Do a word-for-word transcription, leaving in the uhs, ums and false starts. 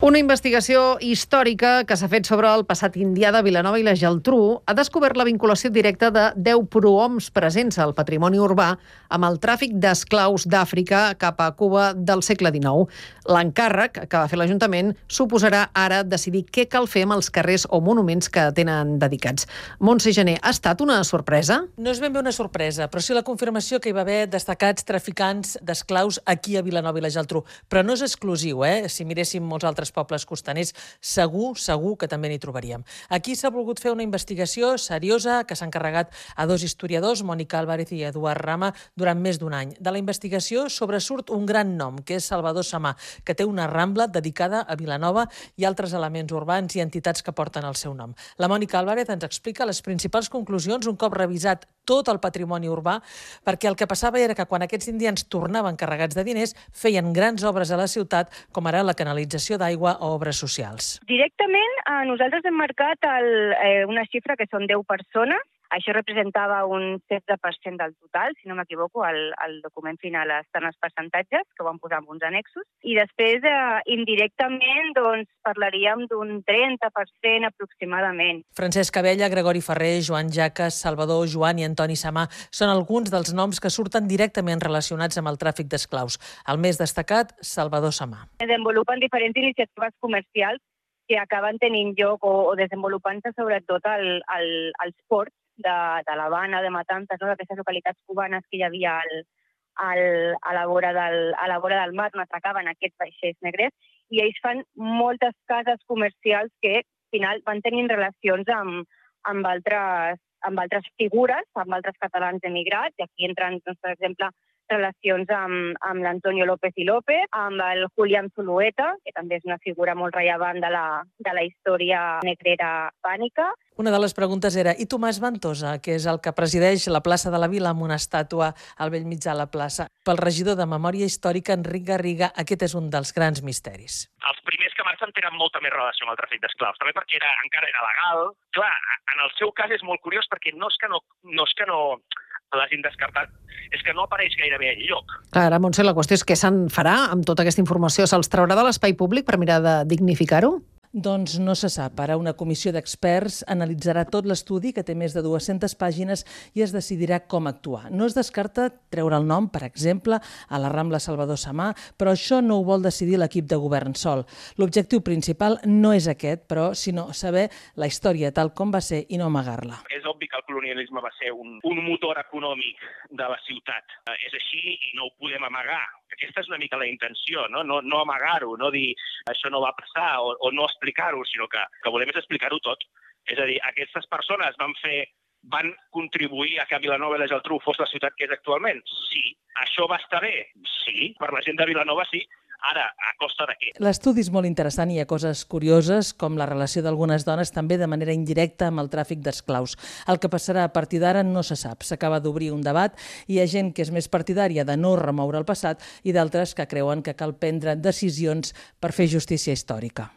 Una investigació històrica que s'ha fet sobre el passat indià de Vilanova i la Geltrú ha descobert la vinculació directa de deu prohoms presents al patrimoni urbà amb el tràfic d'esclaus d'Àfrica cap a Cuba del segle dinou. L'encàrrec que va fer l'Ajuntament suposarà ara decidir què cal fer amb els carrers o monuments que tenen dedicats. Montse Gené, ha estat una sorpresa? No és ben bé una sorpresa, però sí la confirmació que hi va haver destacats traficants d'esclaus aquí a Vilanova i la Geltrú. Però no és exclusiu, eh? Si miréssim molts altres pobles costaners, segur, segur que també n'hi trobaríem. Aquí s'ha volgut fer una investigació seriosa que s'ha encarregat a dos historiadors, Mònica Álvarez i Eduard Rama, durant més d'un any. De la investigació sobresurt un gran nom, que és Salvador Samà, que té una rambla dedicada a Vilanova i altres elements urbans i entitats que porten el seu nom. La Mònica Álvarez ens explica les principals conclusions un cop revisat tot el patrimoni urbà, perquè el que passava era que quan aquests indians tornaven carregats de diners feien grans obres a la ciutat, com ara la canalització d'aigua o obres socials. Directament, eh, nosaltres hem marcat el, eh, una xifra que són deu persones. Això representava un setze per cent del total, si no m'equivoco, al, al document final estan els percentatges, que ho vam posar amb uns annexos. I després, eh, indirectament, doncs, parlaríem d'un trenta per cent aproximadament. Francesc Abella, Gregori Ferrer, Joan Jaques, Salvador, Joan i Antoni Samà són alguns dels noms que surten directament relacionats amb el tràfic d'esclaus. El més destacat, Salvador Samà. Desenvolupen diferents iniciatives comercials que acaben tenint lloc o, o desenvolupant-se sobretot al, al, als ports de, de l'Havana, de Matanzas, no? D'aquestes localitats cubanes que hi havia al, al, a, la vora del, a la vora del mar, on atracaven aquests vaixells negres, i ells fan moltes cases comercials que al final van tenint relacions amb, amb, altres, amb altres figures, amb altres catalans emigrats, i aquí entren, doncs, per exemple, relacions amb, amb l'Antonio López i López, amb el Julián Zulueta, que també és una figura molt rellevant de la, de la història negrera hispànica. Una de les preguntes era, i Tomàs Ventosa, que és el que presideix la plaça de la Vila amb una estàtua al bell mig de la plaça. Pel regidor de Memòria Històrica, Enric Garriga, aquest és un dels grans misteris. Els primers que marxen tenen molta més relació amb el tràfic d'esclaus, també perquè era, encara era legal. Clar, en el seu cas és molt curiós perquè no és que no, no, és que no l'hagin descartat, és que no apareix gairebé enlloc. Clar, ara, Montse, la qüestió és què se'n farà amb tota aquesta informació? Se'ls traurà de l'espai públic per mirar de dignificar-ho? Doncs no se sap. Ara una comissió d'experts analitzarà tot l'estudi, que té més de dues-centes pàgines, i es decidirà com actuar. No es descarta treure el nom, per exemple, a la Rambla Salvador Samà, però això no ho vol decidir l'equip de govern sol. L'objectiu principal no és aquest, però, sinó saber la història tal com va ser i no amagar-la. És obvi que el colonialisme va ser un, un motor econòmic de la ciutat. És així i no ho podem amagar. Aquesta és una mica la intenció, no, no, no amagar-ho, no dir això no va passar o, o no explicar-ho, sinó que, que volem és explicar-ho tot. És a dir, aquestes persones van fer, van contribuir a que Vilanova i la Geltrú fos la ciutat que és actualment? Sí. Això va estar bé? Sí. Per la gent de Vilanova sí. Ara, a costa de què? L'estudi és molt interessant i hi ha coses curioses, com la relació d'algunes dones també de manera indirecta amb el tràfic d'esclaus. El que passarà a partir d'ara no se sap. S'acaba d'obrir un debat i hi ha gent que és més partidària de no remoure el passat i d'altres que creuen que cal prendre decisions per fer justícia històrica.